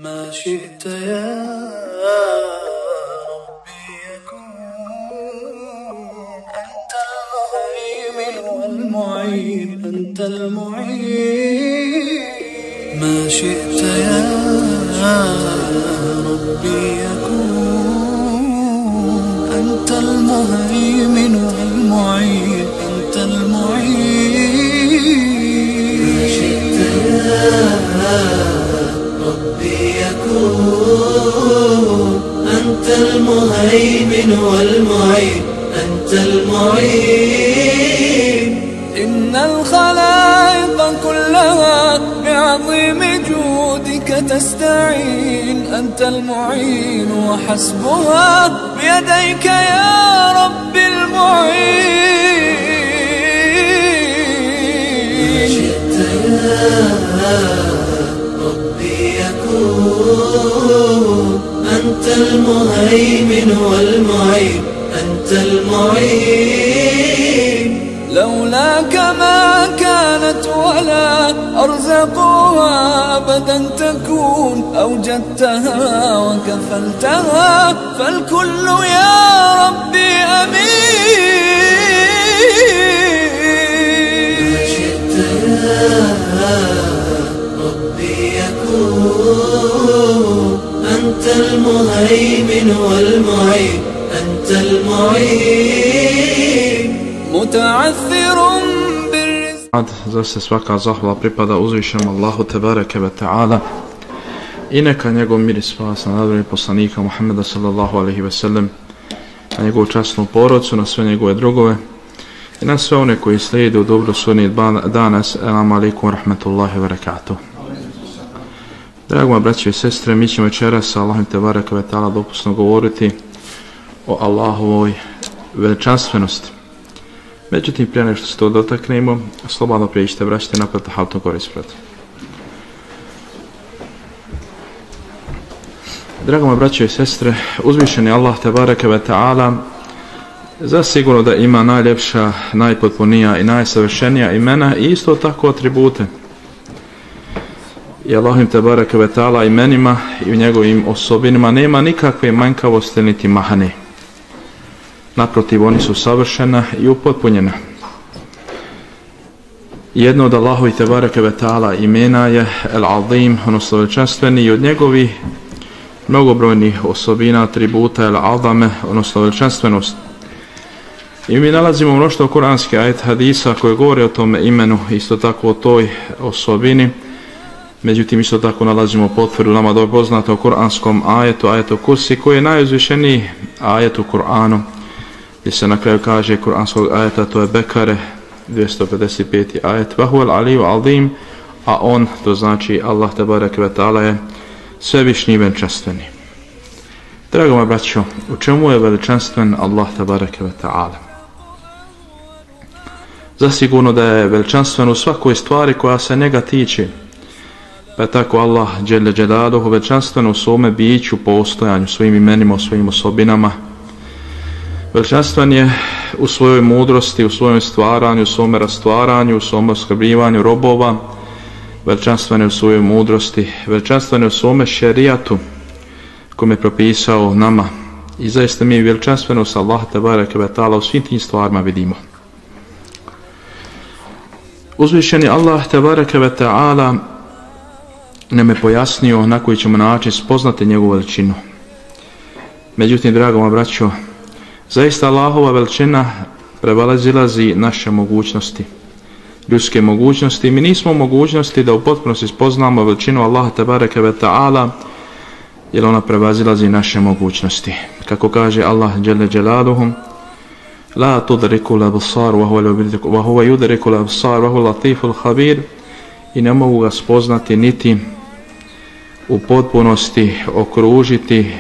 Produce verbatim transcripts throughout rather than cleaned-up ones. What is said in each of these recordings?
ما شئت يا ربي يكون أنت المهيمن والمعين أنت المعين ما شئت يا ربي يكون أنت المهيمن والمعين أنت المعين ما شئت يا ربي يكون أنت المهيمن والمعين أنت المعين إن الخلائق كلها بعظيم جودك تستعين أنت المعين وحسبها بيديك يا رب المعين ما شئت يا ربي يكون أنت المهيمن والمعين أنت المعين لولاك ما كانت ولا أرزقها أبدا تكون أوجدتها وكفلتها فالكل يا ربي أمين ما شئت يا ربي يكون أنت المهيمن والمعين أنت المعين متعثر بالرزق. Za se svaka zahvala pripada uzvišenom Allahu tebareke ve taala i neka njegov mir i spas na nadvori poslanika Muhammeda sallallahu alejhi ve sellem, na njegovu časnu porodcu, na sve njegove drugove i na sve one koji slijede u dobro sudnji dana. Assalamu alaikum wa rahmatullahi wa barakatuh. Drago moji braće i sestre, mi ćemo večeras sa Allahom tebareke ve taala dopusno govoriti o Allahovoj veličanstvenosti. Međutim, prije nešto se to dotaknemo, slobodno prijeđite, vraćite napred, haltom gore ispred. Drago moji braće i sestre, uzvišeni Allah tebareke ve taala zasigurno da ima najljepša, najpotpunija i najsavršenija imena i isto tako atribute. I Allahim tebareke ve taala imenima i u njegovim osobinama nema nikakve manjkavosti niti mahane. Naprotiv, oni su savršena i upotpunjena. Jedno od Allahovi tebareke ve taala imena je El-Azim, odnosno veličanstveni, i od njegovih mnogobrojnih osobina, atributa El-Azame, odnosno veličanstvenost. I mi nalazimo mnoštvo kuranskih ajet hadisa koje govore o tome imenu, isto tako o toj osobini. Međutim, isto tako nalazimo potvrdu nama dobro poznato o kuranskom ajetu, ajetu Kursi, koji je najuzvišeniji ajet u Kur'anu, gdje se na kraju kaže kuranskog ajeta, to je Bekare, dvjesto pedeset peti ajet, Vahuel aliju aldim, a on, to znači Allah tebareke ve taala, je svevišnji i veličanstveni. Drago moji braćo, u čemu je veličanstven Allah tebareke ve taala? Zasigurno da je veličanstven u svakoj stvari koja se njega tiče. Pa je tako Allah dželle dželaluhu veličanstven u svome biću, postojanju, svojim imenima, svojim osobinama. Veličanstven je u svojoj mudrosti, u svojem stvaranju, u svome rastvaranju, u svom oskrbljivanju robova. Veličanstven je u svojoj mudrosti, veličanstven je u svome šerijatu kome je propisao nama. I zaista mi veličanstvenost Allah tebareke ve taala u svim tim stvarima vidimo. Uzvišeni Allah tebareke ve taala nam je pojasnio na koji ćemo način spoznati njegovu veličinu. Međutim, drago moji braćo, zaista Allahova veličina prevalazilazi naše mogućnosti, ljudske mogućnosti. Mi nismo u mogućnosti da u potpunosti spoznamo veličinu Allaha tebareke ve taala, jer ona prevazilazi naše mogućnosti. Kako kaže Allah dželle dželaluhu, la tudriku al-absar wa huwa yudriku al-absar wa huwa latiful khabir, i ne mogu ga spoznati niti u potpunosti okružiti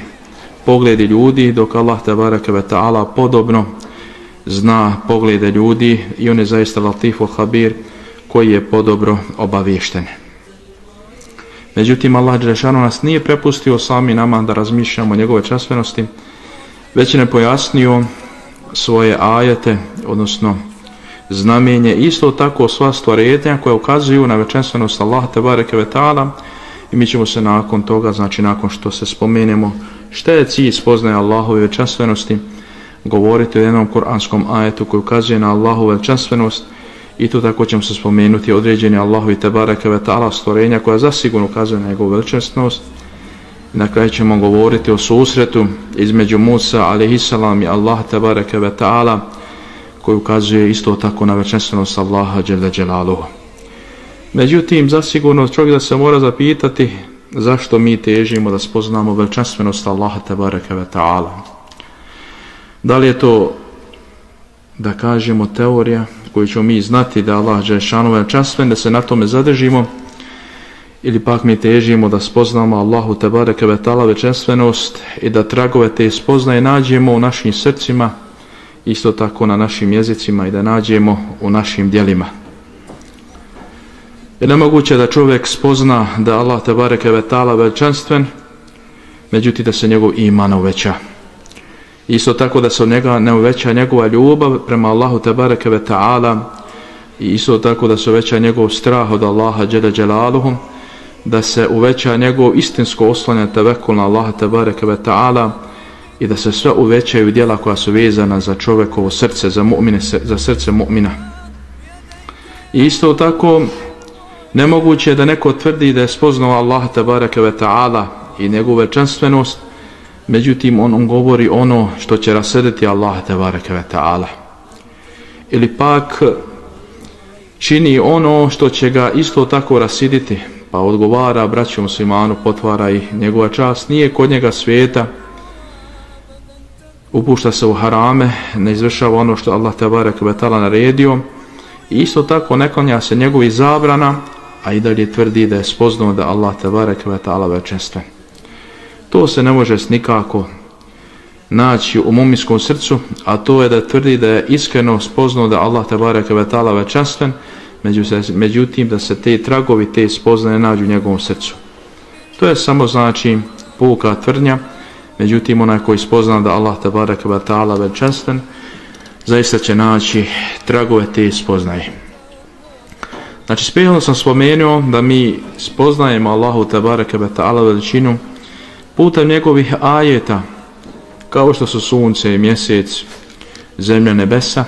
pogledi ljudi, dok Allah tebareke ve taala podobno zna poglede ljudi i on je zaista latiful khabir, koji je podobno obaviješten. Međutim, Allah dželešanu nas nije prepustio sami nama da razmišljamo o njegove časvenosti, već je pojasnio svoje ajete, odnosno znamenje, isto tako sva stvorenja koja ukazuju na veličanstvenost Allaha tebareke ve taala, i mi ćemo se nakon toga, znači nakon što se spomenemo šta je cilj spoznaje Allahove veličanstvenosti, govoriti o jednom kuranskom ajetu koji ukazuje na Allahovu veličanstvenost i to tako ćemo se spomenuti određeni Allahovi tebareke ve ta'ala stvorenja koja zasigurno ukazuje na njegovu veličanstvenost. Na kraju ćemo govoriti o susretu između Musa alejhiselam i Allah tebareke ve ta'ala koji ukazuje isto tako na veličanstvenost Allaha dželle dželaluhu. Međutim, zasigurno čovjek da se mora zapitati zašto mi težimo da spoznamo veličanstvenost Allaha tebareke ve ta'ala. Da li je to, da kažemo, teorija koju ćemo mi znati da Allah dželešanu veličanstven, da se na tome zadržimo, ili pak mi težimo da spoznamo Allahu tebareke ve ta'ala veličanstvenost i da tragove te spoznaje nađemo u našim srcima, isto tako na našim jezicima i da nađemo u našim djelima. Je nemoguće da čovjek spozna da Allah tebareke ve ta'ala veličanstven, međutim da se njegov iman uveća. Isto tako da se od njega ne uveća njegova ljubav prema Allahu tebareke ve ta'ala i isto tako da se uveća njegov strah od Allaha dželle dželaluhu, da se uveća njegov istinsko oslanjanje tevekul na Allaha tebareke ve ta'ala i da se sve uvećaju djela koja su vezana za čovjekovo srce, za mu'mine, za srce mu'mina. I isto tako nemoguće je da neko tvrdi da je spoznao Allaha tebareke ve ta'ala i njegovu veličanstvenost, međutim on, on govori ono što će rasrditi Allaha tebareke ve ta'ala. Ili pak čini ono što će ga isto tako rasiditi, pa odgovara braću muslimanu, potvara i njegova čast nije kod njega svijeta, upušta se u harame, ne izvršava ono što Allah tebareke ve ta'ala naredio i isto tako ne klanja se njegovi zabrana, a i dalje tvrdi da je spoznao da Allah tebareke ve ta'ala veličanstven. To se ne može nikako naći u mu'minskom srcu, a to je da tvrdi da je iskreno spoznao da Allah tebareke ve ta'ala veličanstven, međutim da se te tragovi, te spoznaje nađu u njegovom srcu. To je samo znači puka tvrdnja, međutim onaj koji spozna da Allah tebareke ve ta'ala veličanstven, zaista će naći tragove te spoznaje. Znači, sprijelo sam spomenuo da mi spoznajemo Allahu tebareke ve ta'ala veličinu putem njegovih ajeta, kao što su sunce i mjesec, zemlja, nebesa,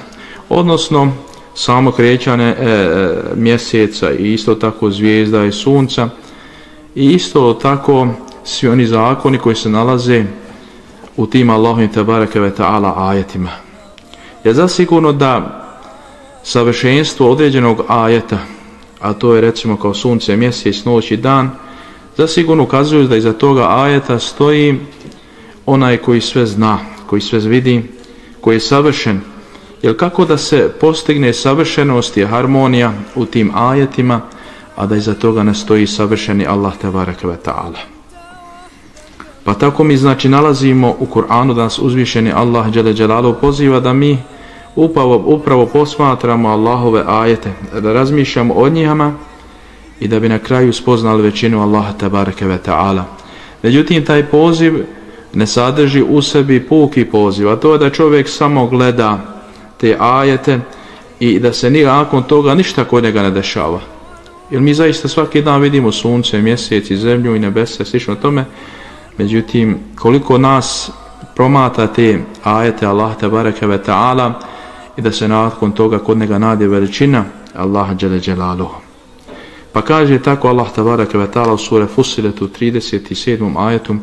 odnosno samo krećanje e, e, mjeseca i isto tako zvijezda i sunca i isto tako svi oni zakoni koji se nalaze u tim Allahovim tebareke ve ta'ala ajetima. Je zasigurno da savršenstvo određenog ajeta, a to je recimo kao sunce, mjesec, noć i dan, zasigurno ukazuju da iza toga ajeta stoji onaj koji sve zna, koji sve vidi, koji je savršen. Jer kako da se postigne savršenost i harmonija u tim ajetima, a da iza toga ne stoji savršeni Allah tebareke ve ta'ala. Pa tako mi znači nalazimo u Kur'anu da nas uzvišeni Allah dželle dželaluhu poziva da mi upravo, upravo posmatramo Allahove ajete, da razmišljamo o njima i da bi na kraju spoznali većinu Allaha tebareke ve ta'ala. Međutim, taj poziv ne sadrži u sebi puki poziv, a to je da čovjek samo gleda te ajete i da se nakon toga ništa kod njega ne dešava. Jer mi zaista svaki dan vidimo sunce, mjesec i zemlju i nebesa, slično tome, međutim, koliko nas promata te ajete Allah tebareke ve ta'ala i da se nakon toga kod njega nađe veličina Allaha dželle dželaluhu. Pa kaže tako Allah tebareke ve ta'ala u sure Fussilet u trideset sedmom ajetu: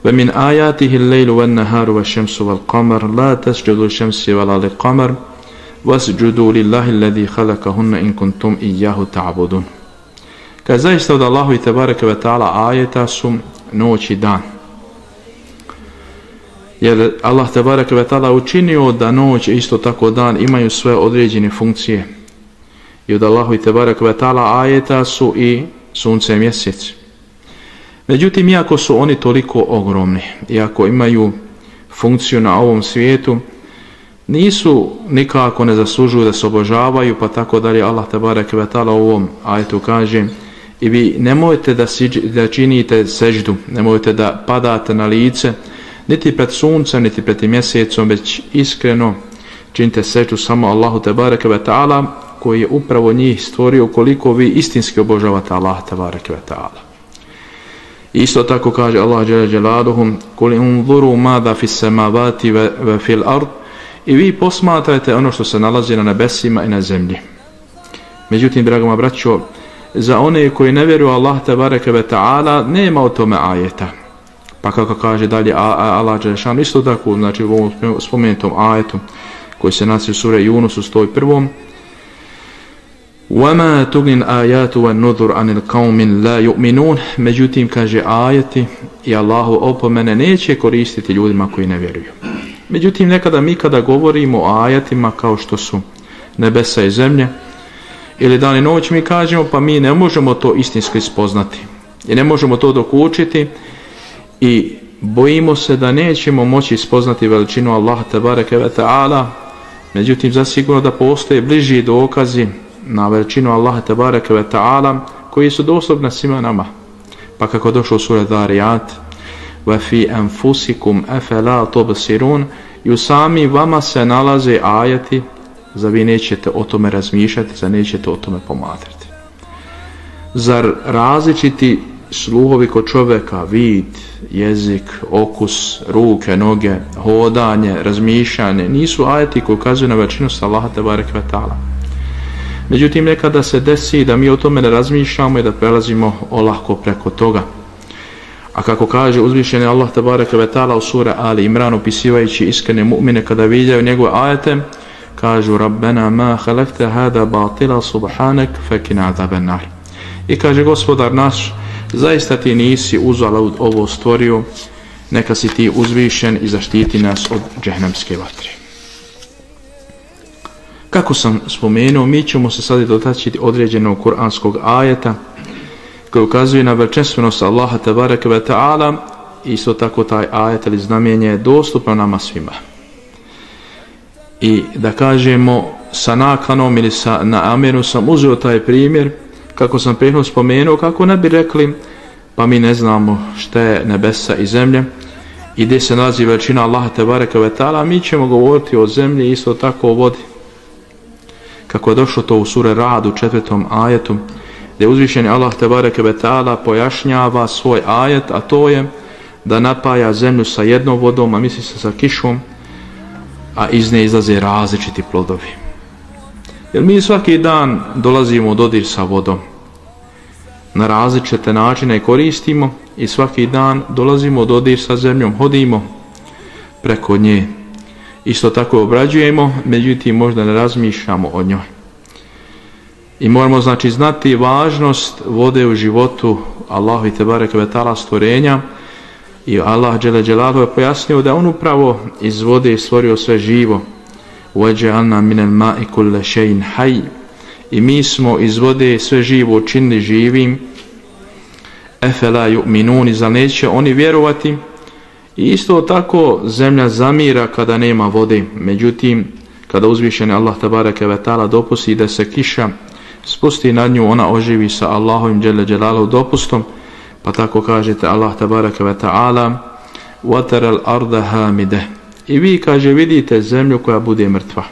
وَمِنْ آيَاتِهِ اللَّيْلُ وَالنَّهَارُ وَالشَّمْسُ وَالْقَمَرُ لَا تَسْجُدُوا لِلشَّمْسِ وَلَا لِلْقَمَرِ وَاسْجُدُوا لِلَّهِ الَّذِي خَلَقَهُنَّ إِن كُنتُمْ إِيَّاهُ تَعْبُدُونَ. Kad zaista od Allahu tebareke ve ta'ala ajeta su noć i dan. Jer Allah tebareke ve ta'ala učinio da noć isto tako dan imaju sve određene funkcije. I od Allahu tebareke ve ta'ala ajeta su i sunce i mjesec. Međutim, iako su oni toliko ogromni, iako imaju funkciju na ovom svijetu, nisu nikako ne zaslužuju da se obožavaju, pa tako dalje Allah tebareke ve ta'ala u ovom ajetu kaže: i vi nemojte da, siđ, da činite seždu, nemojte da padate na lice, niti pred suncem, niti pred mjesecom, već iskreno činite seždu samo Allahu tebareke ve ta'ala, koji je upravo njih stvorio, koliko vi istinski obožavate Allah tebareke ve ta'ala. Isto tako kaže Allah dželle dželaluhu: "Kul unzuru mada fis samawati wa fil ard." I vi posmatrajte ono što se nalazi na nebesima i na zemlji. Međutim, draga moja braćo, za one koji ne vjeruju Allah tebareke ve taala nema o tome ajeta. Pa kako kaže dalje Allah dželle šan, isto tako, znači u ovom spomenutom ajetu koji se nalazi u sure Yunus u sto prvom: وَمَا تُغْنِ الْآيَاتُ وَالنُّذُرُ عَنِ الْقَوْمِ لَا يُؤْمِنُونَ. Međutim, kaže, ajeti i Allahu opomene neće koristiti ljudima koji ne vjeruju. Međutim, nekada mi kada govorimo o ajetima kao što su nebesa i zemlje ili dan i noć, mi kažemo pa mi ne možemo to istinski spoznati i ne možemo to dokučiti i bojimo se da nećemo moći spoznati veličinu Allaha tebareke ve taala. Međutim, zasigurno da postoje bliži dokazi na veličinu Allaha tebareke ve taala koji su dostupni svima nama. Pa kako došlo u sura Dariyat: "Wa fi anfusikum afala tubsirun." I u sami vama se nalaze ajeti, za vi nećete o tome razmišljati, za nećete o tome pomatrati. Zar različiti sluhovi kod čovjeka, vid, jezik, okus, ruke, noge, hodanje, razmišljanje, nisu ajeti koji ukazuju na veličinu Allaha tebareke ve taala? Međutim, nekada se desi da mi o tome ne razmišljamo i da prelazimo olako preko toga. A kako kaže uzvišeni Allah tebareke ve taala u suri Ali Imran, opisivajući iskrene mu'mine kada viđaju njegove ajete, kažu: "Rabbena ma khalaqta hada batila subhanak fakina azaban nar." I kaže: Gospodar naš, zaista ti nisi uzalud ovo stvorio, neka si ti uzvišen i zaštiti nas od džehnemske vatre. Kako sam spomenuo, mi ćemo se sad dotaći određenog kuranskog ajeta koji ukazuje na veličanstvenost Allaha tebareke ve taala. Isto tako taj ajet ili znamenje je dostupno nama svima. I da kažemo sa nakanom ili sa namjerom sam uzeo taj primjer, kako sam prethodno spomenuo, kako ne bi rekli pa mi ne znamo šta je nebesa i zemlje i gdje se nalazi veličina Allaha tebareke ve taala. Mi ćemo govoriti o zemlji, isto tako o vodi. Kako je došlo to u sure Rad u četvrtom ajetu, gdje uzvišeni Allah tebareke ve taala pojašnjava svoj ajet, a to je da napaja zemlju sa jednom vodom, a misli se sa kišom, a iz nje izlaze različiti plodovi. Jer mi svaki dan dolazimo u dodir sa vodom, na različite načine koristimo i svaki dan dolazimo u dodir sa zemljom, hodimo preko nje, isto tako obrađujemo, međutim možda ne razmišljamo o njoj. I moramo znači znati važnost vode u životu Allahu tebareke ve taala stvorenja. I Allah dželle dželaluhu je pojasnio da on upravo iz vode stvorio sve živo. وَجَعَلْنَا مِنَ الْمَاءِ كُلَّ شَيْءٍ حَيٍّ. I mi smo iz vode sve živo učinili živim. أَفَلَا يُؤْمِنُونَ. Zar neće oni vjerovati? I isto tako zemlja zamira kada nema vode. Međutim, kada uzvišeni Allah tebareke ve taala dopusti da se kiša spusti nad nju, ona oživi sa Allahovim dželle dželaluhu dopustom. Pa tako kažete Allah tebareke ve taala: "Watar al-arda hamide." I vi, kaže, vidite zemlju koja bude mrtva.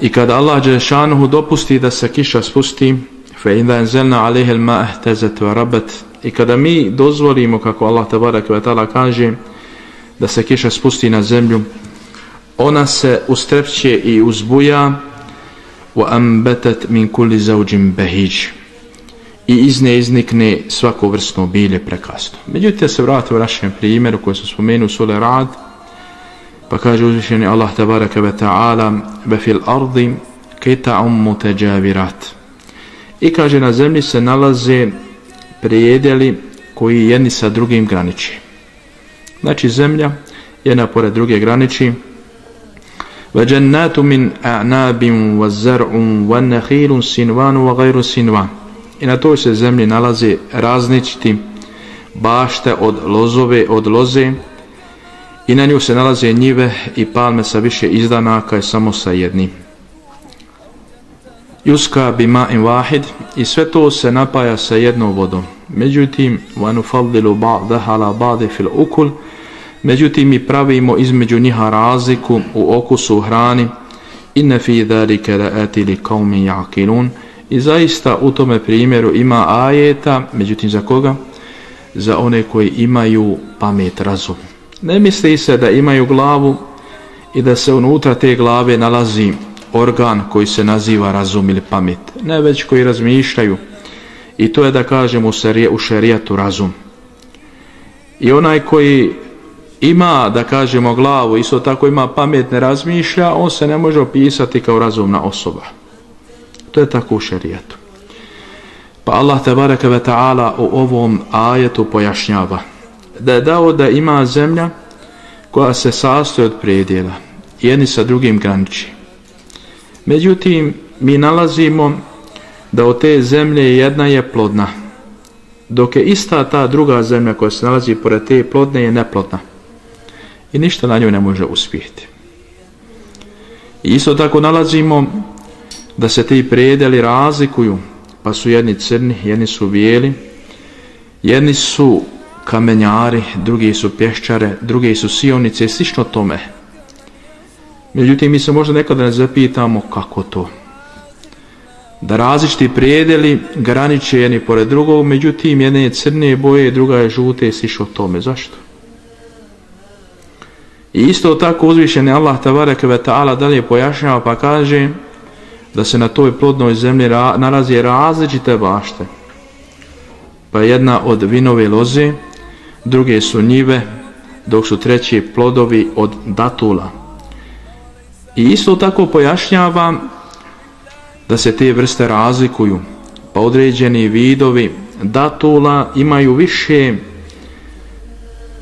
I kada Allah dželle šanuhu dopusti da se kiša spusti, fa idha anzalna alayha al-ma'a ihtazat wa rabat. I kada mi dozvolimo, kako Allah tebareke ve taala kaže, da se kiša spusti na zemlju, ona se ustrepće i uzbuja. Wa anbatat min kulli zawjin bahij. I iz nje iznikne svako vrstno bilje prekrasno. Međutim, se vratimo u našem primjeru koji smo spomenuli u suri Rad, pa kaže uzvišeni Allah tebareke ve taala: "Wa fil ardi qita'un mutajawirat." I kaže, na zemlji se nalaze predjeli koji jedni sa drugim graniči. Znači zemlja jedna pored druge graniči. وَجَنَّاتُ مِنْ أَعْنَابٍ وَزَرْعٌ وَنَّخِيلٌ سِنْوَانُ وَغَيْرُ سِنْوَانُ. I na toj se zemlji nalaze različiti bašte od lozove, od loze, i na nju se nalaze njive i palme sa više izdanaka i samo sa jednim. Yuska bima'in wahid. I sve to se napaja sa jednom vodom. Međutim, وَنُفَضِّلُ بَعْضَهَا عَلَى بَعْضٍ فِي الْأُكُلِ. Međutim, mi pravimo između njiha razliku u okusu, u hrani. Inna fi zalika la'ati liqaumin ya'qilun. I zaista u tome primjeru ima ajeta, međutim za koga? Za one koji imaju pamet, razum. Ne misli se da imaju glavu i da se unutra te glave nalazi organ koji se naziva razum ili pamet. Ne, već koji razmišljaju. I to je, da kažemo, u šerijatu razum. I onaj koji ima, da kažemo, glavu, isto tako ima pamet, ne razmišlja, on se ne može opisati kao razumna osoba. To je tako u šerijatu. Pa Allah tebareke ve ta'ala u ovom ajetu pojašnjava da je dao da ima zemlja koja se sastoji od predjela, jedni sa drugim graniči. Međutim, mi nalazimo da od te zemlje jedna je plodna, dok je ista ta druga zemlja koja se nalazi pored te plodne je neplodna. I ništa na njoj ne može uspjeti. I isto tako nalazimo da se ti predjeli razlikuju, pa su jedni crni, jedni su bijeli, jedni su kamenjari, drugi su pješčare, drugi su sionice i slično tome. Međutim, mi se možda nekada ne zapitamo kako to. Da različiti predjeli graniče jedni pored drugog, međutim jedna je crne boje, druga je žute i slično tome. Zašto? I isto tako uzvišeni Allah tebareke ve ta'ala dalje pojašnjava pa kaže da se na toj plodnoj zemlji ra- nalazi različite bašte. Pa jedna od vinove loze, druge su njive, dok su treći plodovi od datula. I isto tako pojašnjava da se te vrste razlikuju, pa određeni vidovi datula imaju više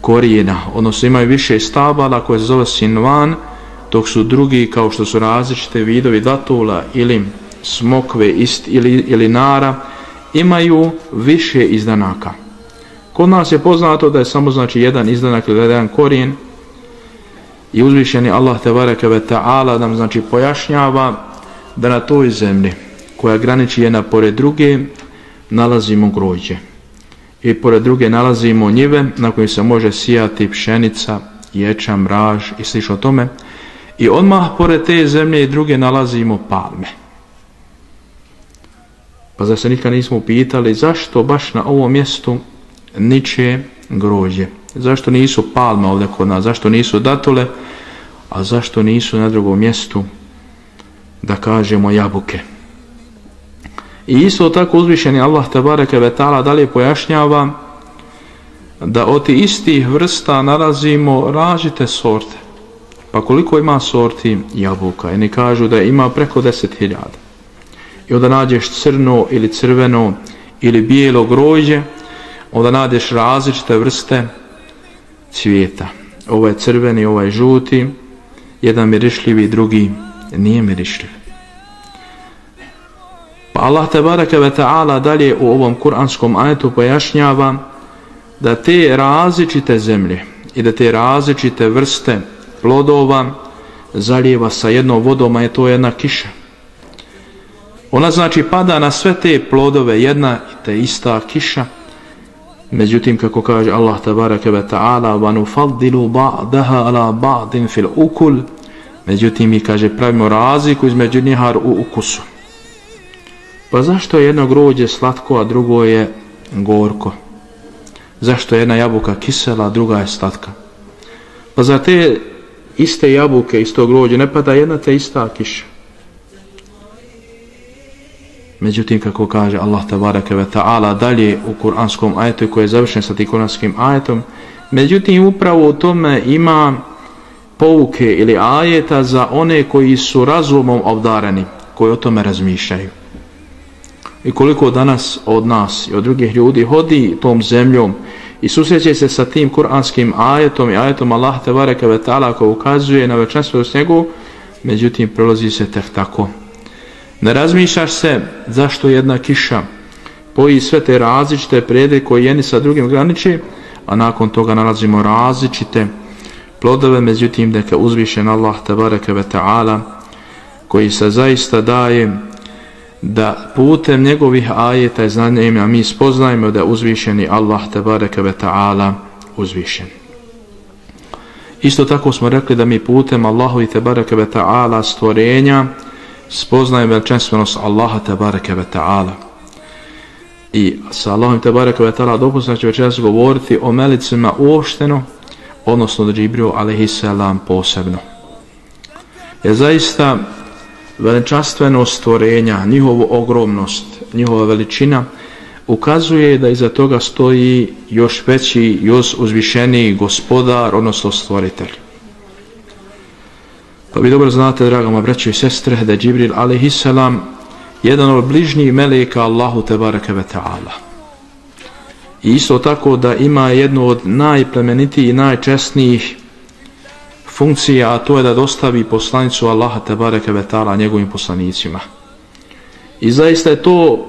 korijena, odnosno imaju više stabala koje se zove sinvan, dok su drugi, kao što su različite vidovi datula ili smokve ist, ili, ili nara, imaju više izdanaka. Kod nas je poznato da je samo znači jedan izdanak ili jedan korijen i uzvišeni Allah tebareke ve ta'ala nam znači pojašnjava da na toj zemlji koja graniči jedna pored druge nalazimo grožđe i pored druge nalazimo njive na kojim se može sijati pšenica, ječam, raž i slično tome. I odmah pored te zemlje i druge nalazimo palme. Pa zar se nikad nismo upitali zašto baš na ovom mjestu niče grožđe? Zašto nisu palme ovdje kod nas? Zašto nisu datule? A zašto nisu na drugom mjestu, da kažemo, jabuke? I isto tako uzvišeni Allah tebareke ve ta'ala dalje pojašnjava da od tih istih vrsta nalazimo različite sorte. Pa koliko ima sorti jabuka? I ne kažu da ima preko deset hiljada. I onda nađeš crno ili crveno ili bijelo grožđe, onda nađeš različite vrste cvijeta. Ovo je crveni, ovo je žuti, jedan mirišljivi, drugi nije mirišljiv. Pa Allah tebareke ve ta'ala dalje u ovom kuranskom ajetu pojašnjava da te različite zemlje i da te različite vrste plodova zalijeva sa jednom vodom, a je to jedna kiša. Ona znači pada na sve te plodove jedna i te ista kiša. Međutim, kako kaže Allah tebareke ve ta'ala, wa nufaddilu ba'daha ala ba'din fil ukul, međutim mi, kaže, pravimo razliku između njih u ukusu. Pa zašto je jedno grožđe slatko, a drugo je gorko? Zašto je jedna jabuka kisela, a druga je slatka? Pa za te iste jabuke, isto grožđe, ne pada jedna te ista kiša. Međutim, kako kaže Allah tebareke ve ta'ala dalje u kuranskom ajetu koji je završen sa tim kuranskim ajetom, međutim upravo u tome ima pouke ili ajeta za one koji su razumom obdareni, koji o tome razmišljaju. I koliko danas od nas i od drugih ljudi hodi tom zemljom i susreće se sa tim kuranskim ajetom i ajetom Allah tebareke ve ta'ala koji ukazuje na veličanstvenost njegovu, međutim prolazi se tek tako. Ne razmišljaš se zašto jedna kiša poji sve te različite predjele koje jedni sa drugim graniče, a nakon toga nalazimo različite plodove, međutim neka uzvišen Allah tebareke ve ta'ala koji se zaista daje da putem njegovih ajeta i znanja mi spoznajemo da je uzvišeni Allah tebareke ve ta'ala uzvišen. Isto tako smo rekli da mi putem Allahovi tebareke ve ta'ala stvorenja spoznajem veličanstvenost Allaha tebareke ve ta'ala. I sa Allahom tebareke ve ta'ala dopustim će večeras govoriti o melecima uopšteno, odnosno da Džibril alejhiselam posebno. Je zaista veličanstvenost stvorenja, njihovu ogromnost, njihova veličina ukazuje da iza toga stoji još veći, još uzvišeniji gospodar, odnosno stvoritelj. Pa vi dobro znate, draga moja braćo i sestre, da je Džibril alejhiselam jedan od bližnjih meleka Allahu tebareke ve ta'ala. I isto tako da ima jednu od najplemenitijih i najčesnijih funkcija, a to je da dostavi poslanicu Allaha tebareke ve ta'ala njegovim poslanicima. I zaista je to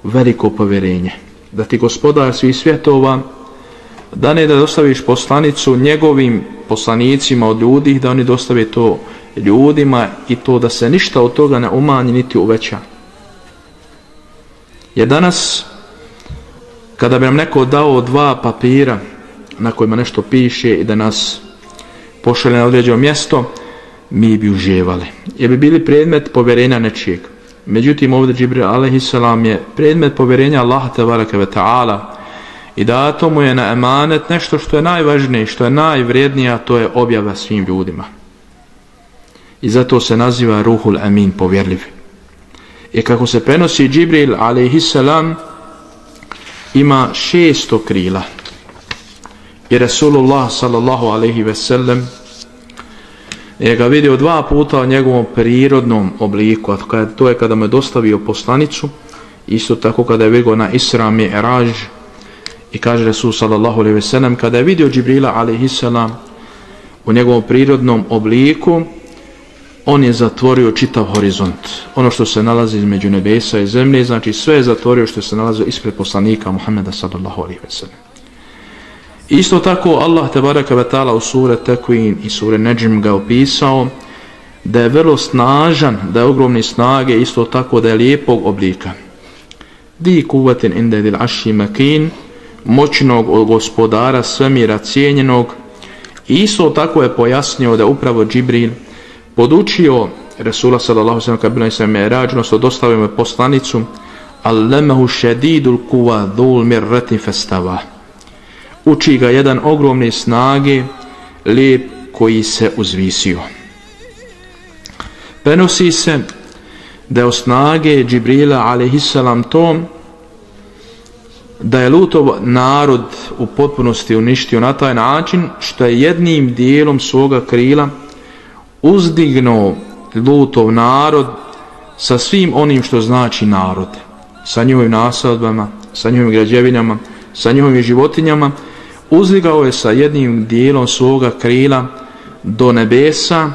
veliko povjerenje, da ti gospodar svih svjetova da ne da dostaviš poslanicu njegovim poslanicima od ljudi, da oni dostave to ljudima i to da se ništa od toga ne umanji niti uveća. Jer danas kada bi nam neko dao dva papira na kojima nešto piše i da nas pošalje na određeno mjesto, mi bi uživali, jer bi bili predmet povjerenja nečijeg. Međutim, ovdje Džibril alejhiselam je predmet povjerenja Allaha tebareke ve ta'ala i dato mu je na emanet nešto što je najvažnije, što je najvrijednije, a to je objava svim ljudima. I zato se naziva Ruhul Amin, povjerljiv. I kako se prenosi, Džibril alejhiselam ima šesto krila. I Rasulullah sallallahu alejhi ve sellem je ga vidio dva puta u njegovom prirodnom obliku, a to je kada mu je dostavio poslanicu, isto tako kada je vidio na Isra Mi'raj. I kaže Rasul sallallahu alejhi ve sellem, kada je vidio Džibrila alejhiselam u njegovom prirodnom obliku, on je zatvorio čitav horizont. Ono što se nalazi između nebesa i zemlje, znači sve je zatvorio što se nalazi ispred poslanika Muhameda sallallahu alejhi ve sellem. Isto tako Allah tebareke ve ta'ala u sure Tekwin i sure Nedžm ga opisao da je vrlo snažan, da je ogromne snage, isto tako da je lijepog oblika. Di kuvatin inda dil aši makin, moćnog gospodara svemira cijenjenog. Isto tako je pojasnio da upravo Džibril podučio Resula sallallahu alejhi ve sellem kad bilo Isra Mi'raj, odnosno dostavio mu poslanicu, allamahu shadidul quwa dhul mirratin fastava. Uči ga jedan ogromne snage, lijep koji se uzvisio. Prenosi se da je od snage Džibrila alejhiselam tom da je Lutov narod u potpunosti uništio na taj način što je jednim dijelom svoga krila uzdignuo Lutov narod sa svim onim što znači narod, sa njihovim nasadbama, sa njihovim građevinama, sa njihovim životinjama. Uzdigao je sa jednim dijelom svoga krila do nebesa,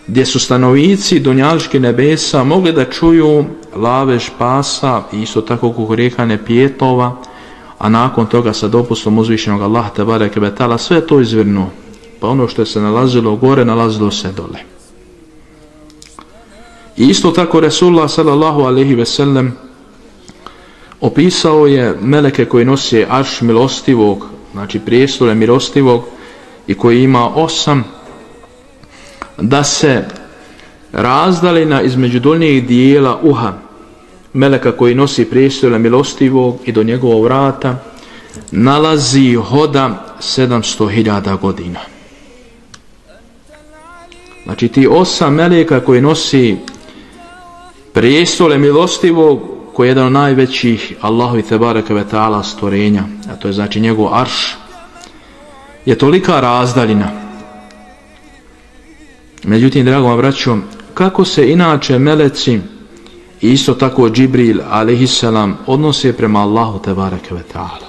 gdje su stanovnici dunjaluških nebesa mogli da čuju lavež pasa i isto tako kukurikanje pijetova, a nakon toga sa dopustom uzvišenog Allaha tebareke ve ta'ala sve to izvrnuo, pa ono što je se nalazilo gore nalazilo se dole. I isto tako Resulullah sallallahu alejhi ve sellem opisao je meleke koji nosi arš milostivog, znači prijestolje milostivog, i koji ima osam, da se razdalina između donjeg dijela uha meleka koji nosi prijestolje milostivog i do njegovog vrata nalazi hoda sedamsto hiljada godina. Znači ti osam meleka koji nosi prijestolje milostivog, koji je jedan od najvećih Allahovi tebareke ve ta'ala stvorenja, a to je znači njegov arš, je tolika razdaljina. Međutim, drago moja braćo, kako se inače meleci i isto tako Džibril alejhiselam odnose prema Allahu tebareke ve ta'ala?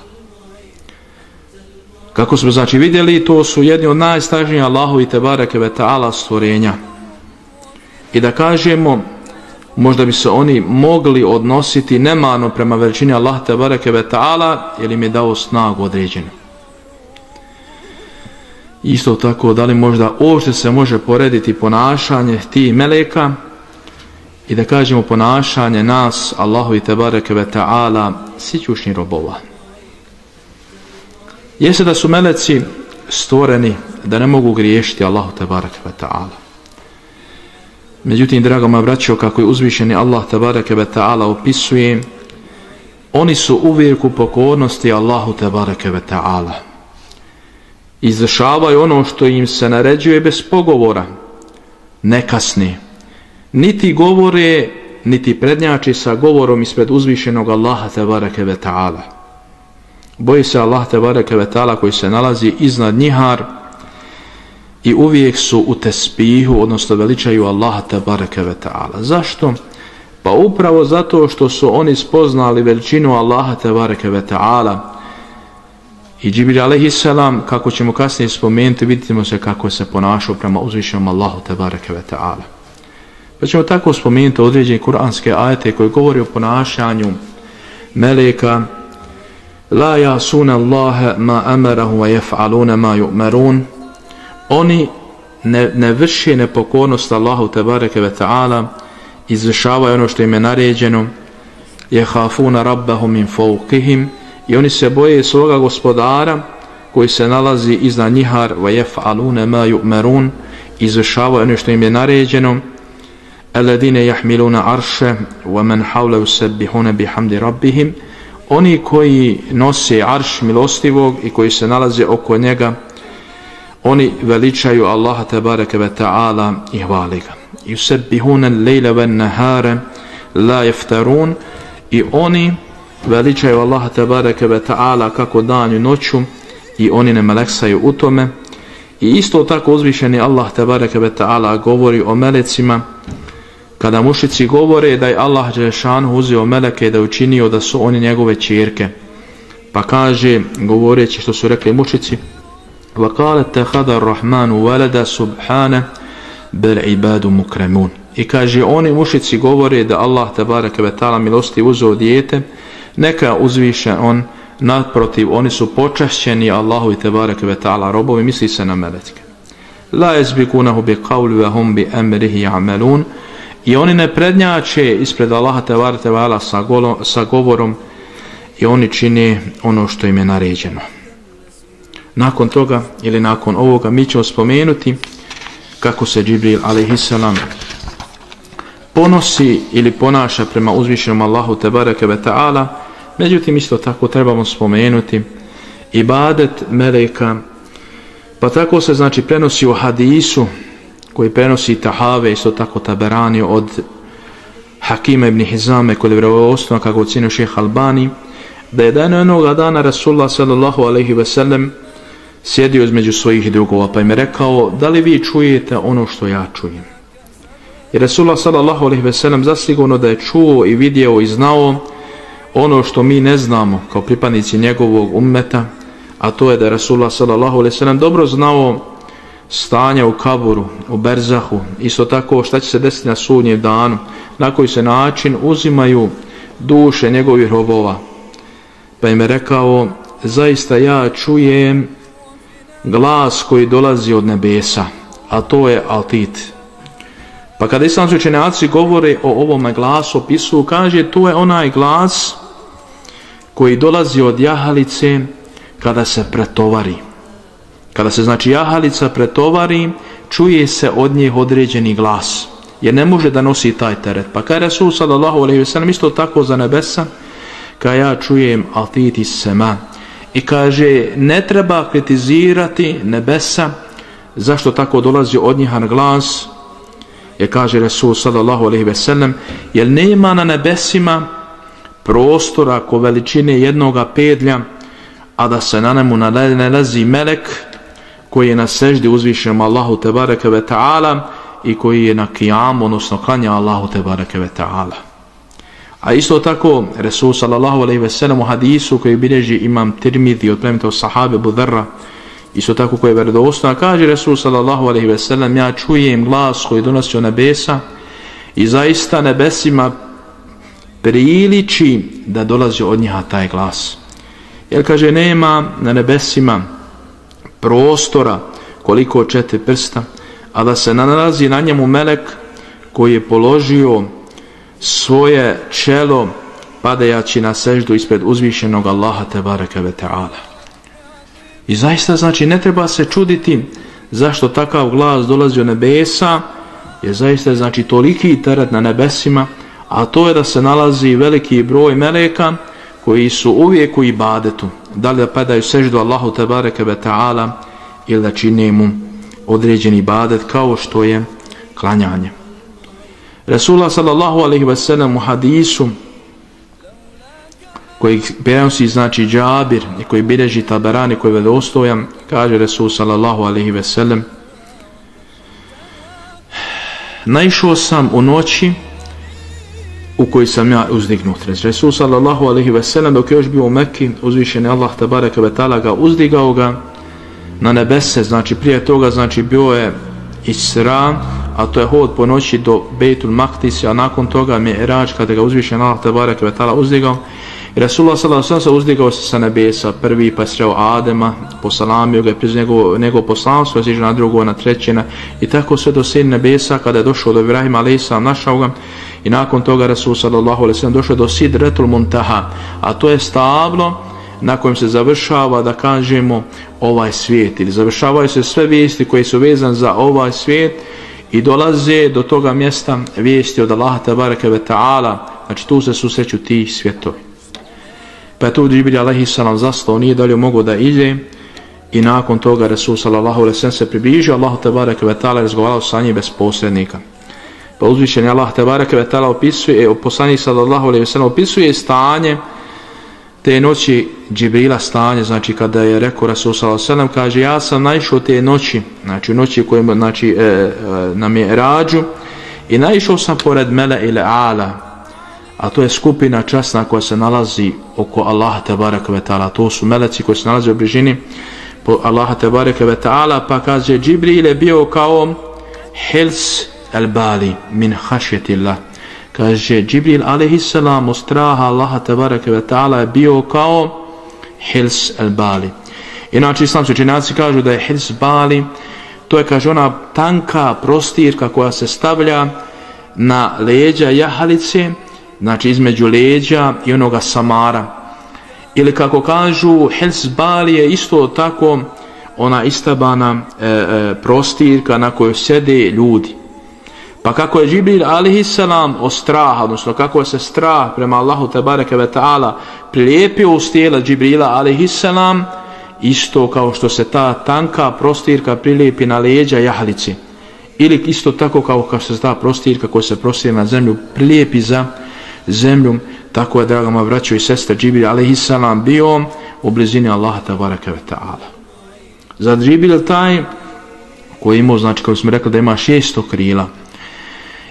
Kako smo znači vidjeli, to su jedni od najsnažnijih Allahovi tebareke ve ta'ala stvorenja. I da kažemo, možda bi se oni mogli odnositi nemano prema veličini Allaha tebareke ve ta'ala, jer im je dao snagu određenu. Isto tako, da li možda uopšte se može porediti ponašanje tih meleka i da kažemo ponašanje nas, Allahovi tebareke ve ta'ala, sićušnih robova. Jeste da su meleci stvoreni da ne mogu griješiti Allahu tebareke ve ta'ala. Međutim, drago moja braćo, kako je uzvišeni Allah tebareke ve ta'ala opisuje, oni su uvijek u pokornosti Allahu tebareke ve ta'ala. Izvršavaju ono što im se naređuje bez pogovora, ne kasni. Niti govore, niti prednjači sa govorom ispred uzvišenog Allaha tebareke ve ta'ala. Boji se Allah tebareke ve ta'ala koji se nalazi iznad njihar i uvijek su u tespihu, odnosno veličaju Allaha tebareke ve ta'ala. Zašto? Pa upravo zato što su oni spoznali veličinu Allaha tebareke ve ta'ala. I Džibril alejhiselam, kako ćemo kasnije spomenuti, vidimo se kako se ponašao prema uzvišenom Allahu tebareke ve ta'ala. Pa ćemo tako spomenuti određene kuranske ajete koji govori o ponašanju meleka. La jasuna Allahe ma amarahu wa yaf'aluna ma yu'marun. Oni ne, ne vrši nepokornost Allahu tebareke ve ta'ala, izvršavaju ono što im je naređeno. Yahafuna rabbahum min fawqihim. I oni se boje svoga gospodara koji se nalazi iznad njihar. Wa yaf'aluna ma yu'marun. Izvršavaju ono što im je naređeno. Alladine yahmiluna arshe wa man hawla yusabbihuna bihamdi rabbihim. Oni koji nose arš milostivog i koji se nalaze oko njega, oni veličaju Allaha tebareke ve ta'ala i hvali ga. Yusabbihuna al-layla wan-nahara la yaftarun. I oni veličaju Allaha tebareke ve ta'ala kako dan i noću i oni ne meleksaju u tome. I isto tako uzvišeni Allah tebareke ve ta'ala govori o melecima. Kada mušici govore da je Allah dželešanu uzeo meleke i da je učinio da su oni njegove ćerke, pa kaže, govoreći što su rekli mušici, وَقَالَ تَخَذَ الرَّحْمَانُ وَلَدَ سُبْحَانَ بَلْعِبَادُ مُكْرَمُونَ. I kaže, oni mušici govore da Allah tebareke ve ta'ala milosti uzeo dijete, neka uzviše on, naprotiv, oni su počašćeni Allahu tebareke ve ta'ala robovi, misli se na meleke. لَا يَسْبِقُونَهُ بِقَوْلِ وَهُمْ بِأَمْرِهِ يَعْمَلُونَ. I oni ne prednjače ispred Allaha tebareke ve ta'ala sa, sa govorom i oni čine ono što im je naređeno. Nakon toga ili nakon ovoga mi ćemo spomenuti kako se Džibril alejhiselam ponosi ili ponaša prema uzvišenom Allahu tebareke ve ta'ala. Međutim, isto tako trebamo spomenuti ibadet meleka, pa tako se znači prenosi u hadisu koji prenosi Tahave, isto tako Taberani od Hakima ibn Hizame kod je vjerodostojno kako ocenio šejh Albani, da je dan jednog dana Rasulullah sallallahu alejhi ve sellem sjedio između svojih drugova, pa im je rekao, da li vi čujete ono što ja čujem? I Rasulullah sallallahu alejhi ve sellem zasigurno da je čuo i vidio i znao ono što mi ne znamo kao pripadnici njegovog ummeta, a to je da je Rasulullah sallallahu alejhi ve sellem dobro znao stanja u kaburu, u berzahu, isto tako šta će se desiti na sudnjem danu, na koji se način uzimaju duše njegovih robova. Pa im je rekao, zaista ja čujem glas koji dolazi od nebesa, a to je altit. Pa kada islamski učenjaci govore o ovome glasu, opisuju, kaže, to je onaj glas koji dolazi od jahalice kada se pretovari. Kada se znači jahalica pretovari, čuje se od nje određeni glas, jer ne može da nosi taj teret. Pa kada je Resul sallallahu alejhi ve sellem isto tako za nebesa, kada ja čujem altit iz sema. I kaže, ne treba kritizirati nebesa zašto tako dolazi od njih glas, jer kaže Resul sallallahu alejhi ve sellem, jer nema na nebesima prostora ko veličine jednoga pedlja, a da se na njemu nalazi melek koji je na seždi uzvišenom Allahu tebareke ve ta'ala i koji je na kijamu, odnosno klanja Allahu tebareke ve ta'ala. A isto tako Resul sallallahu alejhi ve sellem u hadisu koji bilježi imam Tirmidhi od plemenitog sahabe Abu Dharra, isto tako koji je vjerodostojan, kaže Resul sallallahu alejhi ve sellem, ja čujem glas koji donosi od nebesa i zaista nebesima priliči da dolazi od njiha taj glas. Jer kaže, nema na nebesima prostora koliko četiri prsta, a da se nalazi na njemu melek koji je položio svoje čelo padajući na seždu ispred uzvišenog Allaha tebareke ve ta'ala. I zaista znači ne treba se čuditi zašto takav glas dolazi od nebesa je zaista znači toliki teret na nebesima, a to je da se nalazi veliki broj meleka koji su uvijek u ibadetu, da li da padaju seždu Allahu tebareke ve ta'ala ili da čine mu određeni ibadet kao što je klanjanje. Resulullah sallallahu alejhi ve sellem u hadisu koji prenosi znači Džabir i koji bilježi Taberani, koji je vjerodostojan, kaže Resul sallallahu alejhi ve sellem: naišao sam u noći u kojoj sam ja uzdignut. Resul sallallahu alejhi ve sellem dok je još bio u Mekki, uzvišeni Allah tebareke ve taala ga uzdigao ga na nebese, znači prije toga znači bio je Isra, a to je hod po noći do Bejtul Maktisa, a nakon toga Mi'rađ kada ga uzvišeni Allah tebareke ve taala uzdigao. I Resulullah sallallahu alejhi ve sellem uzdigao se sa nebesa prvi, pa je sreo Adema, posalamio ga, priznao njegovo, njegovo poslanstvo, je siđe na drugo, na trećina i tako sve do sedam nebesa. Kada je došao do Ibrahima alejhi selam, našao ga i nakon toga Resul sallallahu alejhi ve sellem došao do Sidretul Muntaha, a to je stablo na kojem se završava, da kažemo, ovaj svijet, ili završavaju se sve vijesti koje su vezane za ovaj svijet i dolaze do toga mjesta vijesti od Allaha tebareke ve ta'ala, znači tu se susreću ti svjetovi. Pa je tu Džibril alejhi selam zastao, nije dalje mogao da ide i nakon toga Resul sallallahu alejhi ve sellem se približio Allahu tebareke ve ta'ala i razgovarao sa njim bez posrednika. Pa uzvišeni Allah tebareke ve ta'ala opisuje, poslanik sallallahu alejhi ve sellem opisuje stanje te noći Džibrila, stanje, znači kada je rekao Resul sallallahu alejhi ve sellem, kaže: ja sam naišao te noći, znači u noći kojim, znači e, e, na Mi'rađu, i naišao sam pored Mele ile Ala, a to je skupina časna koja se nalazi oko Allaha tebareke ve ta'ala, to su meleci koji se nalaze u bližini po Allaha tebareke ve ta'ala. Pa kaže: Džibril je bio kao hils el bali min hašjetillah, kaže Džibril alejhi selam od straha Allaha tebareke ve ta'ala je bio kao hils el bali. Inače islamski učenjaci kažu da je hils bali, to je, kaže, ona tanka prostirka koja se stavlja na leđa jahalice, znači između leđa i onoga samara, ili kako kažu hils bali je isto tako ona istabana e, e, prostirka na kojoj sjede ljudi. Pa kako je Džibril alejhi selam od straha, odnosno kako je se strah prema Allahu tebareke ve ta'ala prilijepio uz tijela Džibrila alejhi selam, isto kao što se ta tanka prostirka prilijepi na leđa jahalici, ili isto tako kao kao se ta prostirka koja se prostire na zemlju prilijepi za zemlju, tako je, draga moja braćo i sestre, Džibril alejhi selam bio u blizini Allaha tebareke ve ta'ala. Za Džibril taj koji imao, znači kako smo rekli da ima šesto krila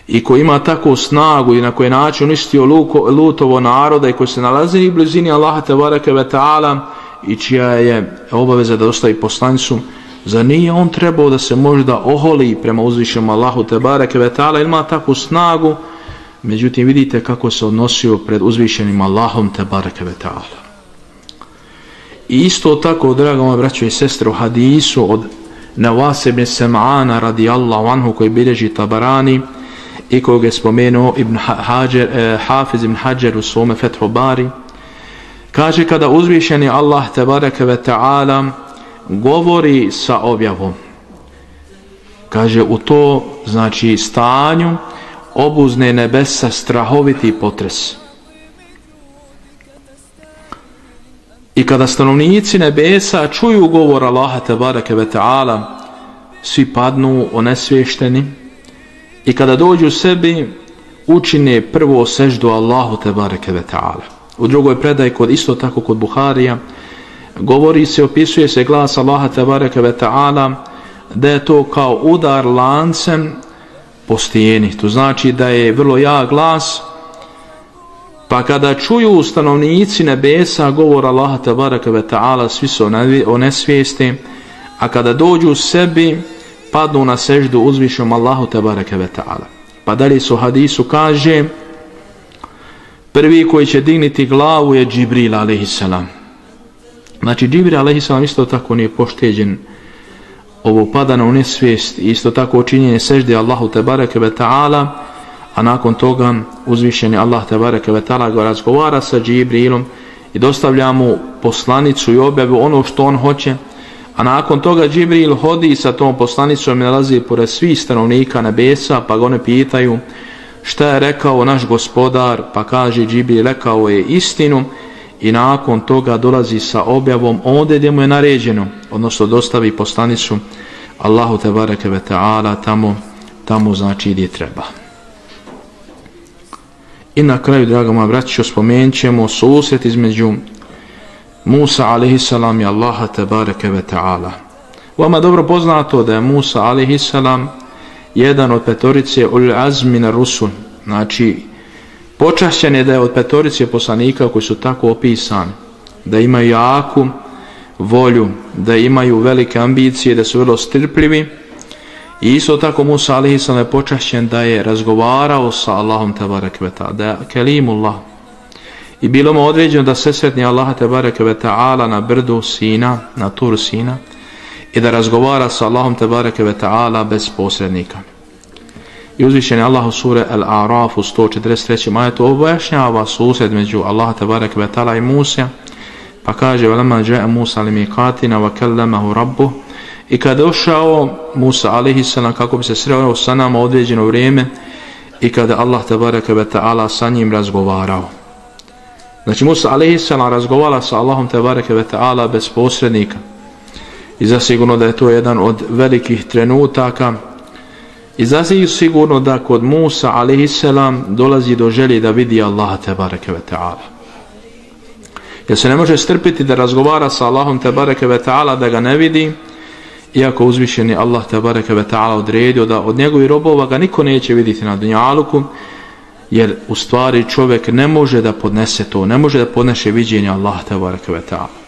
i koji ima takvu snagu i na koji način uništio Lutovo naroda i koji se nalazi u blizini Allaha tebareke ve ta'ala i čija je obaveza da dostavi poslanicu, za nije on trebao da se možda oholi prema uzvišenom Allahu tebareke ve ta'ala, ima takvu snagu. Međutim, vidite kako se odnosio pred uzvišenim Allahom tebareke ve ta'ala. I isto tako, draga moja braćo i sestre, u hadisu od Nevas ibn Sem'ana radijallahu anhu koji bilježi Tabarani i kojeg je spomenuo Ibn Hađer, eh, Hafiz ibn Hađer u svome Fethu Bari, kaže: kada uzvišeni Allah tebareke ve ta'ala govori sa objavom, kaže u to, znači stanju, obuzne nebesa strahoviti potres. I kada stanovnici nebesa čuju govor Allaha tebareke ve ta'ala, svi padnu onesvješteni i kada dođu sebi učine prvo seždu Allahu tebareke ve ta'ala. U drugoj predaji, kod isto tako kod Buharija, govori se, opisuje se glas Allaha tebareke ve ta'ala da je to kao udar lancem po stijeni. To znači da je vrlo jak glas, pa kada čuju stanovnici nebesa govor Allaha tebareke ve ta'ala, svi su onesvijesti, a kada dođu sebi padnu na seždu uzvišenom Allahu tebareke ve ta'ala. Pa dalje su hadisu kaže: prvi koji će digniti glavu je Džibril alejhi selam. Znači Džibril alejhi selam isto tako nije pošteđen ovo padano u nesvijest, isto tako učinjenje sežde Allahu tebareke ve ta'ala, a nakon toga uzvišeni Allah tebareke ve ta'ala ga razgovara sa Džibrilom i dostavlja mu poslanicu i objavu ono što on hoće, A nakon toga Džibril hodi sa tom poslanicom i nalazi pored svih stanovnika nebesa, pa ga one pitaju šta je rekao naš gospodar, pa kaže Džibril rekao je istinu, i nakon toga dolazi sa objavom ondje gdje mu je naređeno, odnosno dostavi poslanicu Allahu tebareke ve ta'ala tamo, tamo znači gdje treba. I na kraju, draga moja braćo, spomenut ćemo susret između Musa alejhiselam i Allaha tebareke ve ta'ala. Vama dobro poznato da je Musa alejhiselam jedan od petorice ulul azmi na rusul, znači počašćen je da je od petorice poslanika koji su tako opisani, da imaju jaku volju, da imaju velike ambicije, da su vrlo strpljivi. I isto tako Musa alejhiselam je počašćen da je razgovarao sa Allahom tebareke ve ta'ala, da je kelimullah. I bilo mu određeno da se sretni Allaha tebareke ve ta'ala na brdu Sina, na Tur Sina, i da razgovara sa Allahom tebareke ve ta'ala bez posrednika. I uzvišen je Allah u sure Al-A'raf u sto četrdeset trećem ajetu objašnjava susret među Allaha tebareke ve ta'ala i Musa, pa kaže وَلَمَا جَاءَ مُوسَى لِمِيقَاتِنَا وَكَلَّمَهُ رَبُّهُ. I kada je došao Musa alejhiselam kako bi se sreo sa nama određeno vrijeme i kada Allah tebareke ve ta'ala sa njim razgovarao. Znači Musa alejhiselam razgovara sa Allahom tebareke ve ta'ala bez posrednika. I zasigurno da je to jedan od velikih trenutaka. I zasigurno da kod Musa alejhiselam dolazi do želje da vidi Allaha tebareke ve ta'ala. Jer se ne može strpiti da razgovara sa Allahom tebareke ve ta'ala da ga ne vidi, iako uzvišeni Allah tebareke ve ta'ala odredio da od njegovih robova ga niko neće vidjeti na dunjaluku, jer u stvari čovjek ne može da podnese to, ne može da podnese viđenje Allaha tebareke ve ta'ala.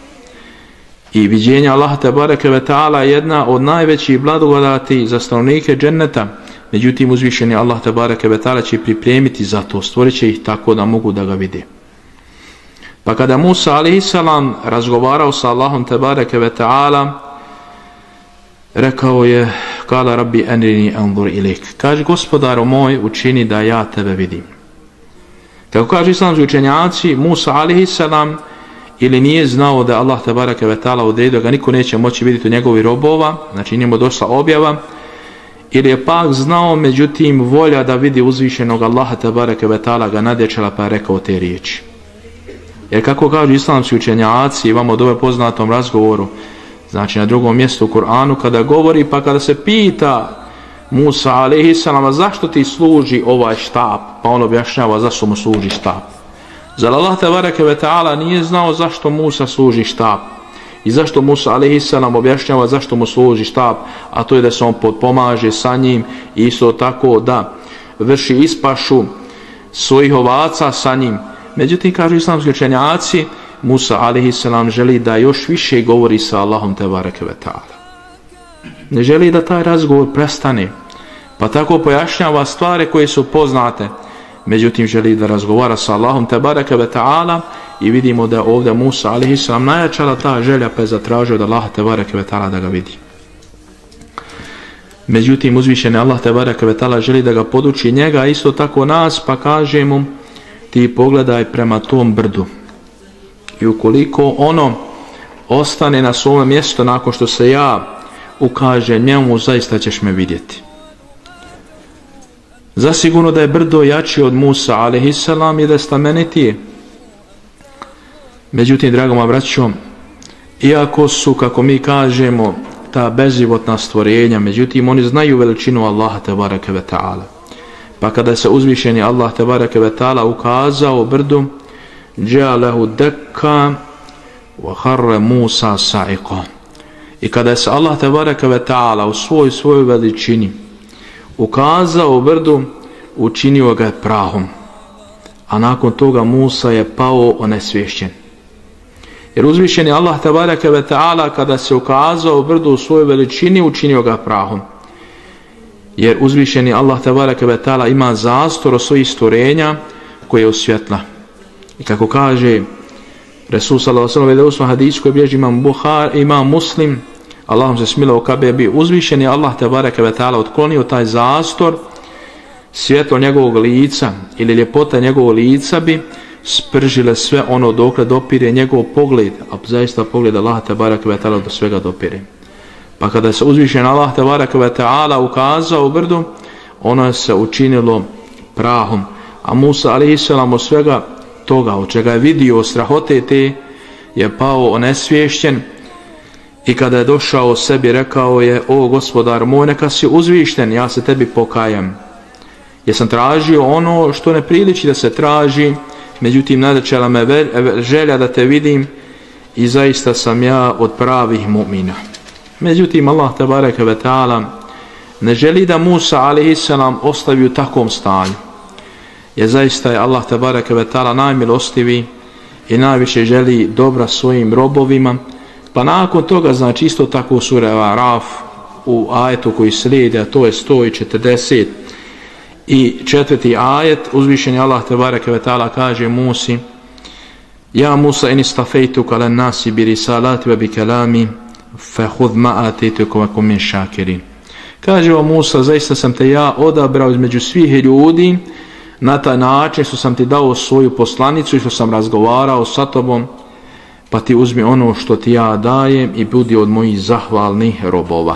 I viđenje Allaha tebareke ve ta'ala je jedna od najvećih blagodati za stanovnike dženneta. Međutim, uzvišeni Allah tebareke ve ta'ala će pripremiti za to, stvorit će ih tako da mogu da ga vide. Pa kada Musa alejhiselam razgovarao sa Allahom tebareke ve ta'ala, rekao je, kala rabbi enrini anzur ilik, kaže gospodaru moj, učini da ja tebe vidim. Kako kaže islamski učenjaci, Musa alejhiselam ili nije znao da Allah tebareke ve ta'ala odredio ga niko neće moći vidjeti od njegovih robova, znači nije mu došla objava, ili je pak znao, međutim volja da vidi uzvišenog Allaha tebareke ve ta'ala ga nadječala, pa je rekao te riječi. Jer kako kažu islamski učenjaci, imamo od ove poznatom razgovoru, znači na drugom mjestu u Kur'anu, kada govori, pa kada se pita Musa alejhiselam zašto ti služi ovaj štap, pa on objašnjava zašto mu služi štap. Zar Allah tebareke ve ta'ala nije znao zašto Musa služi štap i zašto Musa alejhiselam objašnjava zašto mu služi štap, a to je da se on potpomaže sa njim i isto tako da vrši ispašu svojih ovaca sa njim. Međutim, kažu islamski učenjaci, Musa alejhiselam želi da još više govori sa Allahom tebareke ve ta'ala. Ne želi da taj razgovor prestane, pa tako pojašnjava stvari koje su poznate. Međutim, želi da razgovara sa Allahom tebareke ve ta'ala i vidimo da ovdje Musa alejhiselam najjačala ta želja, pa je zatražio da Allah tebareke ve ta'ala da ga vidi. Međutim, uzvišeni Allah tebareke ve ta'ala želi da ga poduči njega, isto tako nas, pa kaže mu ti pogledaj prema tom brdu. I ukoliko ono ostane na svome mjestu nakon što se ja ukažem njemu, zaista ćeš me vidjeti. Zasigurno da je brdo jači od Musa alejhiselam i da je stamenitije. Međutim, drago moja braćo, iako su, kako mi kažemo, ta bezživotna stvorenja, međutim oni znaju veličinu Allaha tebareke ve ta'ala. Pa kada se uzvišeni Allah tebareke ve ta'ala ukazao brdu, džalehu dekka wa harre Musa sa'iqa. I kada se Allah tebareke ve ta'ala u svoj svojoj veličini ukazao brdu, učinio ga je prahom, a nakon toga Musa je pao onesvješćen. Jer uzvišeni Allah tebareke ve ta'ala kada se ukazao brdu u svojoj veličini, učinio ga prahom. Jer uzvišeni Allah tebareke ve ta'ala ima zastor od svojih stvorenja koje je osvjetla. I kako kaže Resul sallallahu alejhi ve sellem u hadisu koji bilježi imam Buhari, imam Muslim, Allahom se smilao kada bi uzvišeni Allah tebareke ve ta'ala otklonio taj zastor, svjetlo njegovog lica ili ljepota njegovog lica bi spržile sve ono dokle dopire njegov pogled, a zaista pogled Allah tebareke ve taala do svega dopire. Pa kada se uzvišen Allah tebareke ve taala ukazao u brdu, ono se učinilo prahom, a Musa alejselam od svega toga od čega je vidio strahote te je pao onesvješćen i kada je došao sebi rekao je: o gospodar moj, neka si uzvišten, ja se tebi pokajam. Jer sam tražio ono što ne priliči da se traži, međutim nadečela me želja da te vidim i zaista sam ja od pravih mu'mina. Međutim Allah tebareke ve taala ne želi da Musa alejselam ostavi u takvom stanju. Jer zaista je Allah tebareke ve taala najmilostiviji i najviše želi dobra svojim robovima. Pa nakon toga, znači isto tako sura Araf u ajetu koji slijedi, a to je sto četrdeset i četvrti ajet, uzvišeni Allah tebareke ve taala kaže Musi: ja Musa in istafejtuka lan nasi bi risalati wa bi kalami fa khudh ma atituka wa kum min shakirin. Kaže o Musa, zaista sam te ja odabrao između svih ljudi, na taj način što sam ti dao svoju poslanicu i što sam razgovarao sa tobom, pa ti uzmi ono što ti ja dajem i budi od mojih zahvalnih robova.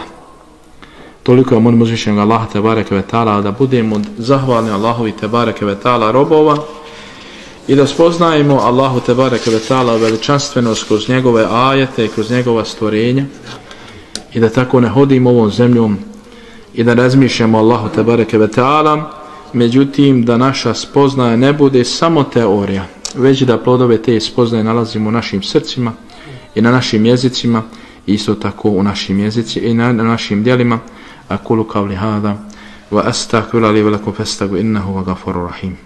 Toliko je molim uzvišenog Allaha tebareke ve taala da budemo od zahvalni Allahovi tebareke ve taala robova i da spoznajemo Allahu tebareke ve taala veličanstvenost kroz njegove ajete i kroz njegova stvorenja i da tako ne hodimo ovom zemljom i da razmišljamo Allahu tebareke ve taala, međutim da naša spoznaja ne bude samo teorija, već da plodove te spoznaje nalazimo u našim srcima i na našim jezicima, isto tako u našim jezicima i na, na našim djelima. Aqulu qawli hada wa astaghfiru li wa lakum fastaghfiruhu innahu huwal ghafurur rahim.